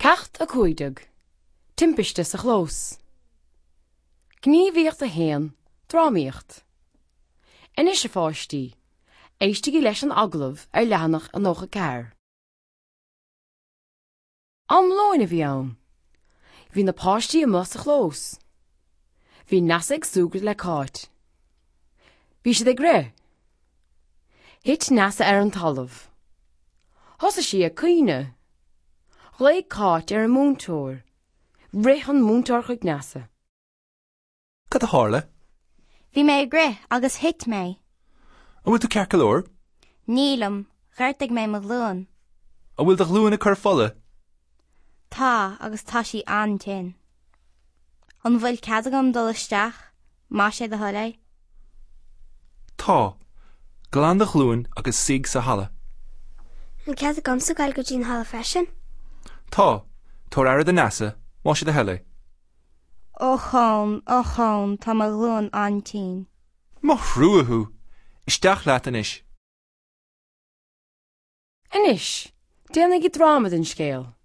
Ceacht 15. Timpiste sa chlós. Gníomhaíocht 1, Drámaíocht. Anois a pháistí, éistigí leis an agallamh ar leathanach 94. Am lóin a bhí ann. Bhí na páistí amuigh sa chlós. Bhí Neasa ag súgradh le Cáit. Bhí siad ag rith. Thit Neasa ar an talamh. Thosaigh sí ag caoineadh. Ghlaoigh Cáit ar an múinteoir. Rith an múinteoir chuig Neasa. Cad a tharla? Bhí mé ag rith agus thit mé. An bhfuil tú ceart go leor? Nílim, ghortaigh mé mo ghlúin. An bhfuil do ghlúin ag cur fola? Tá, agus tá sí an-tinn. An bhfuil cead agam dul isteach, más é do thoil é? Tá. Glan do ghlúin agus suigh sa halla. An cead agamsa dul go dtí an halla freisin? Tá. Tabhair aire do Neasa, más é do thoil é. Ochón, ochón, tá mo ghlúin an-tinn. Mo thrua thú! Isteach leat anois. Anois, déanaigí dráma den scéal.